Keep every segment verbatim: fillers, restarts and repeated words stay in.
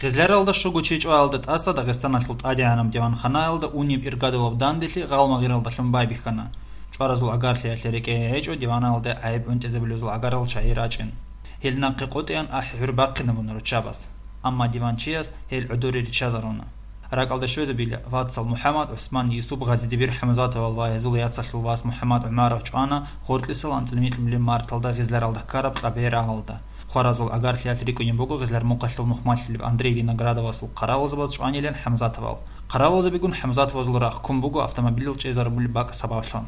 Гъизляралда щуго чи чӀваялда тӀаса Дагъистаналъул тӀадегӀанаб диванханаялда унеб иргадулаб данделъи гъалмагъиралдалъун байбихьана. ЧӀваразул агарлъиялъе рекӀее гьечӀо диваналде гӀайиб гӀунтӀизабулезул агарал чагӀи рачӀин. Гьел нахъе къотӀеян ахӀи-гӀур бахъинабуна руччабаз. Амма диванчияс гьел гӀодоре риччазаруна. РакӀалда щвезабила вацал МухӀаммад, ГӀусман, Юсуп, Гъазидибир ХӀамзатовал ва гьезул яцалъул вас МухӀаммад ГӀумаров чӀвана гъоркьисал анцӀила микьнули марталда Гъизляралда ккараб Кьабе рагъалда. Хваразул агарлъиялъ рикӀкӀунеб буго Гъизлярмухъалъул нухмалъилеб Андрей Виноградовасул хъаравулзабаз чӀванилан ХӀамзатовал. Хъаравулзабигун ХӀамзатовазул рахъ ккун буго автомобилал чӀезарулеб бакӀ сабаблъун.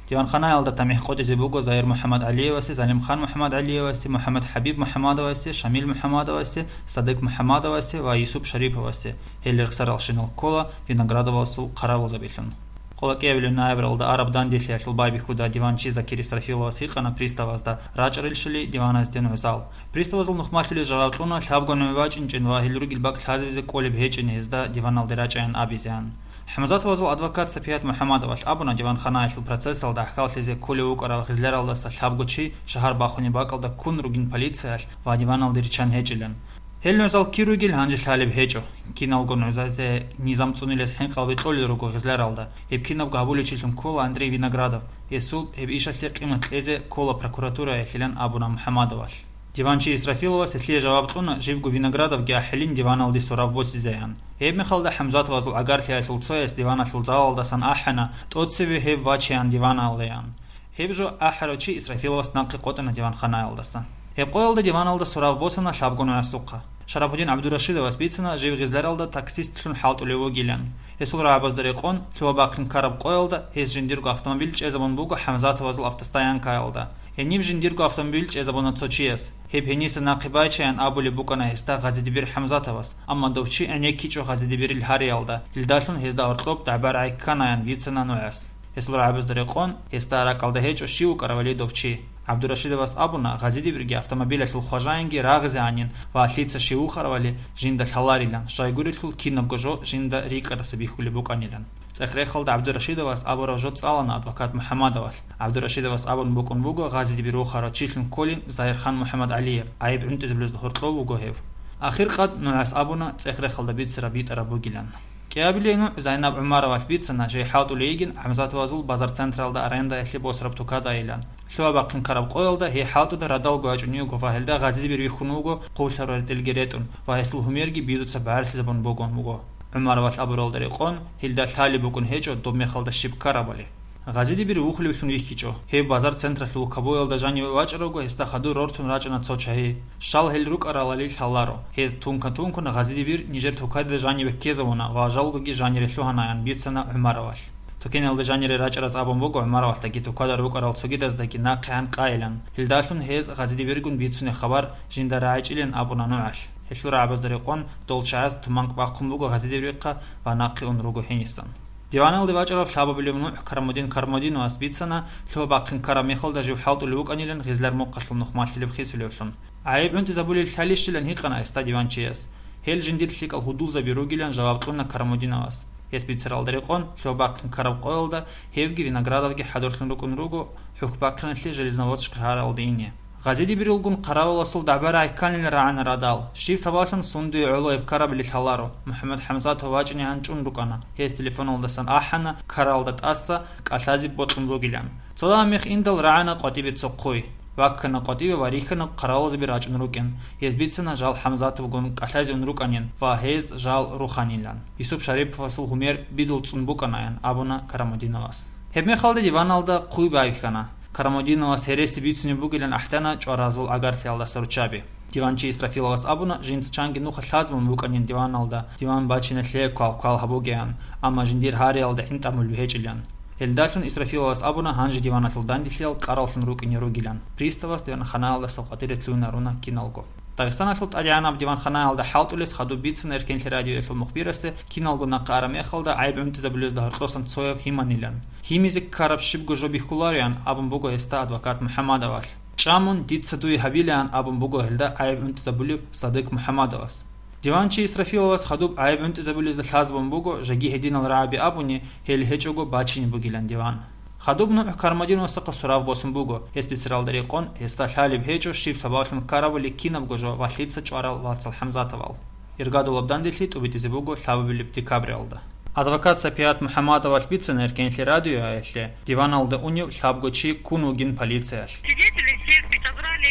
Диванханаялда тамихӀ къотӀизе буго Загьир МухӀаммад ГӀалиевасе, Залимхан МухӀаммад ГӀалиевасе, МухӀаммад ХӀабиб МухӀаммадовасе, Шамил МухӀаммадовасе, Садыкъ МухӀаммадовасе ва Юсуп Шариповасе. Гьел рехсаралщинал ккола Виноградовасул хъаравулзабилъун. Къоло кӀиабилеб ноябралда араб данделъиялъул байбихьуда диванчи Закир Исрафиловас гьикъана приставазда, рачӀарилщали диваназде нугӀзал. Приставазул нухмалъулел жаваб кьуна лъабго нугӀ вачӀинчӀин ва гьел ругел бакӀ лъазабизе кӀолеб гьечӀин гьезда диваналде рачӀаян абизеян. ХӀамзатовазул адвокат Сапият МухӀаммадовалъ абуна диванханаялъул процессалда гӀахьаллъизе кколев вукӀарав Гъизляралдаса лъабго чи шагьар бахунеб бакӀалда ккун ругин полициялъ ва диваналде риччан гьечӀилан. Гьел нугӀзал кир ругел гьанже лъалеб гьечӀо. Киналго нугӀзазе низам цӀунилес хӀинкъал бекьолел руго Гъизляралда. Гьеб кинабго гьабулев чилъун ккола Андрей Виноградов. Гьесул гьеб ишалъе къимат кьезе ккола прокуратураялъилан абуна МухӀаммадовалъ. Диванчи Исрафиловас гьелъие жаваб кьуна, живго Виноградовги ахӀилин диваналде сорав босизеян. Гьеб мехалда ХӀамзатовазул агарлъиялъул цояс диваналъул залалдасан ахӀана, тӀоцеве гьев вачеян диваналдеян. Гьеб жо ахӀарав чи Исрафиловас нахъе къотӀана диванханаялдаса. Гьеб къоялда диваналда сорав босана лъабго нугӀасухъа. Шарапудин ГӀабдурашидовас бицана жив Гъизляралда таксистлъун хӀалтӀулев вугилан. Гьесул рагӀабазда рекъон, лъугьа-бахъин ккараб къоялда гьес жиндирго автомобиль чӀезабун буго ХӀамзатовазул автостоянкаялда. Гьениб жиндирго автомобиль чӀезабуна цо чияс. Гьеб гьениса нахъе байчаян абулеб букӀана гьесда Гъазидибир ХӀамзатовас, амма дов чи гӀенеккичӀо Гъазидибирил гьариялда, гьелдалъун гьезда гьоркьоб дагӀба-рагӀи кканаян бицана нугӀас. Гьесул рагӀабазда рекъон, гьесда ракӀалда гьечӀо щив вукӀарав гьале дов чи. ГӀабдурашидовас абуна, Гъазидибирги автомобилялъул хважаинги рагъизеанин ва лъица щив вухаравали жинда лъаларилан, щайгурелъул кинабго жо жинда рикӀкӀадаса бихьулеб букӀанилан. ЦӀех-рехалда ГӀабдурашидовас абураб жо цӀалана адвокат МухӀаммадовалъ. ГӀабдурашидовас абун букӀун буго, Гъазидибир вухарав чилъун кколин Загьирхан МухӀаммад ГӀалиев, гӀайиб гӀунтӀизабулезда гьоркьов вуго гьев. Ахиркъад нугӀас абуна цӀех-рехалда бицараб битӀараб бугилан. КӀиабилей нугӀ Зайнаб ГӀумаровалъ бицана, жей хӀалтӀулей йигин ГӀамзатовазул базар-централда арендаяхъе босараб тукадаилан. Лъугьа-бахъин ккараб къоялда гьей хӀалтӀуда радалго ячӀун йиго ва гьелда Гъазидибир вихьун вуго хъублъараб ретӀелги ретӀун ва гьесул гьумерги бидуца багӀерлъизабун бугун буго. ГӀумаровалъ абуралда рекъон, гьелда лъалеб букӀун гьечӀо доб мехалда щиб ккарабали. Гъазидибир вухулевлъун вихьичӀо. Гьев базар-централъул кабуялда жаниве вачӀаравго, гьесда хадур рортун рачӀана цо чагьи. Щал гьел рукӀаралали лъаларо. Гьез тунка-тункун Гъазидибир нижер тукаде жаниве ккезавуна ва жалгоги жанире лъугьанаян бицана ГӀумаровалъ. Тукеналда жанире рачӀараз абун буго ГӀумаровалъдаги тукада рукӀарал цогидаздаги нахъегӀан къайилан. Гьелдалъун гьез Гъазидибиргун бицунеб хабар жинда рагӀичӀилин абуна нугӀалъ. Гьелъул рагӀабазда рекъон, дол чагӀаз туманкӀ бахъун буго Гъазидибирихъа ва нахъе ун руго гьенисан. Диваналде вачӀарав лъабабилев нугӀ Кармудин Кармудиновас бицана, лъугьа-бахъин ккараб мехалда жив хӀалтӀулев вукӀанилан Гъизлярмухъалъул нухмалъилеб хисулевлъун. ГӀайиб гӀунтӀизабулел лъалищилан гьикъана гьесда диванчияс. Гьел жиндир лъикӀал гьудулзаби ругилан жаваб кьуна Кармудиновас. Гьес бицаралда рекъон, лъугьа-бахъин ккараб къоялда гьевги Виноградовги хӀадурлъун рукӀун руго ХӀухьбахъиналъе Железноводск шагьаралде ине. Гъазидибирилгун хъаравуласул дагӀба-рагӀи кканилан рагӀана радал. Щив сабаблъун сундуе гӀоло гьеб ккарабали лъаларо. МухӀаммад ХӀамзатов вачӀинегӀан чӀун рукӀана. Гьес телефоналдасан ахӀана, ккаралда тӀаса кӀалъазе бокьун бугилан. Цо дагьаб мех индал рагӀана къватӀибе цо хъуй. Ваккана къватӀибе ва рихьана хъаравулазаби рачӀун рукӀин. Гьез бицана жал ХӀамзатовгун кӀалъазе ун рукӀанин ва гьез жал руханилан. Юсуп Шариповасул гьумер бидул цӀун букӀанаян абуна Карамудиновас. Гьебмехалда диваналда хъуй байбихьана. Карамудиновас гьереси бицунеб бугилан ахӀдана чӀваразул агарлъиялдаса руччаби. Диванчи Исрафиловас абуна, жинца чанги нуха лъазабун букӀанин диваналда, диван бачиналъе квал-квал гьабугеян, амма жиндир гьариялда гӀинтӀамулби гьечӀилан. Гьелдалъун Исрафиловас абуна, гьанже диваналъул данделъиял кьараллъун рукӀине ругилан. Приставас диванханаялдаса къватӀире лъугьинаруна киналго. Дагъистаналъул тӀадегӀанаб диванханаялда хӀалтӀулес хадуб бицун Эркенлъи радиоялъул мухбирасе киналго нахъа араб мехалда гӀайиб гӀунтӀизабулезда гьоркьосан цояв гьиманилан. Гьимизе ккараб щибго жо бихьулароян абун буго гьесда адвокат МухӀаммадовалъ. ЧӀамун дица дуе гьабилаан абун буго гьелда гӀайиб гӀунтӀизабулев Садыкъ МухӀаммадовас. Диванчи Исрафиловас хадуб гӀайиб гӀунтӀизабулезда лъазабун буго, жеги гьединал рагӀаби абуни, гьел гьечӀого бачине бугилан диван. Хадуб нугӀ Кармадиновасахъа сурав босун буго, гьес бицаралда рекъон, гьесда лъалеб гьечӀо щиб сабаблъун ккарабали кинабго жо ва лъица чӀварал вацал ХӀамзатовал. Иргадулаб данделъи тӀубитӀизе буго лъабабилеб декабралда. Адвокат Сапият МухӀаммадовалъ бицана Эркенлъи радиоялъе, диваналда унев лъабго чи ккун вугин полициялъ. Свидетелей всех подобрали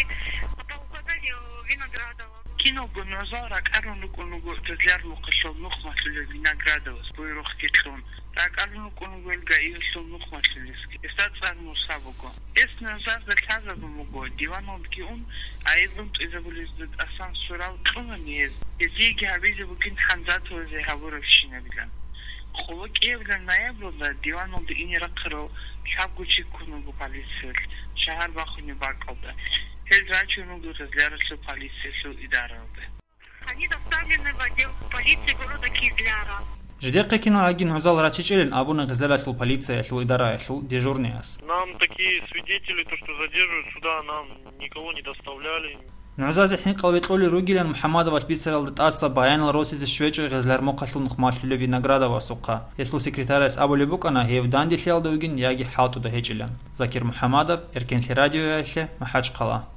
по указанию Виноградова. Киналго нугӀзал ракӀалун рукӀун руго Тезлярмухъалъул нухмалъулев Виноградовас буйрухъги кьун. РакӀалун рукӀун руго ил ГАИ-ялъул нухмалъулесги. Гьесда цӀар Муса буго. Гьес нугӀзазда лъазабун буго, диваналдги ун, гӀайиб бутӀизабулезда тӀасан сурал кьуна гьез. Гьезиеги гьабизе бугин хӀанзаталазе гьабурабщинабилан. Хъулу кӀиабилан ноябралда диваналда ине рахъарал лъабго чи ккун вуго полициялъ, шагьар бахунеб бакӀалда. Гьел рачун руго Тезляралъул полициялъул идараялде. Они доставлены в отдел полиции города Кизляра. Жидехъе киналгӀаги нугӀзал рачичӀилин абуна Кизляралъул полициялъул идараялъул дежурныяс. Нам такие свидетели, то, что задерживают суда, нам никого не доставляли. НугӀзазе хӀинкъал векьулел ругилан МухӀаммадовалъ бицаралда тӀаса баянал росизе щвечӀо Гъезлярмухъалъул нухмалъулев Виноградовасухъа. Гьесул секретарас абулеб букӀана гьев данделъиялда вугин яги хӀалтӀуда гьечӀилан. Закир МухӀаммадов, Эркенлъи радиоялъе, МахӀачхъала.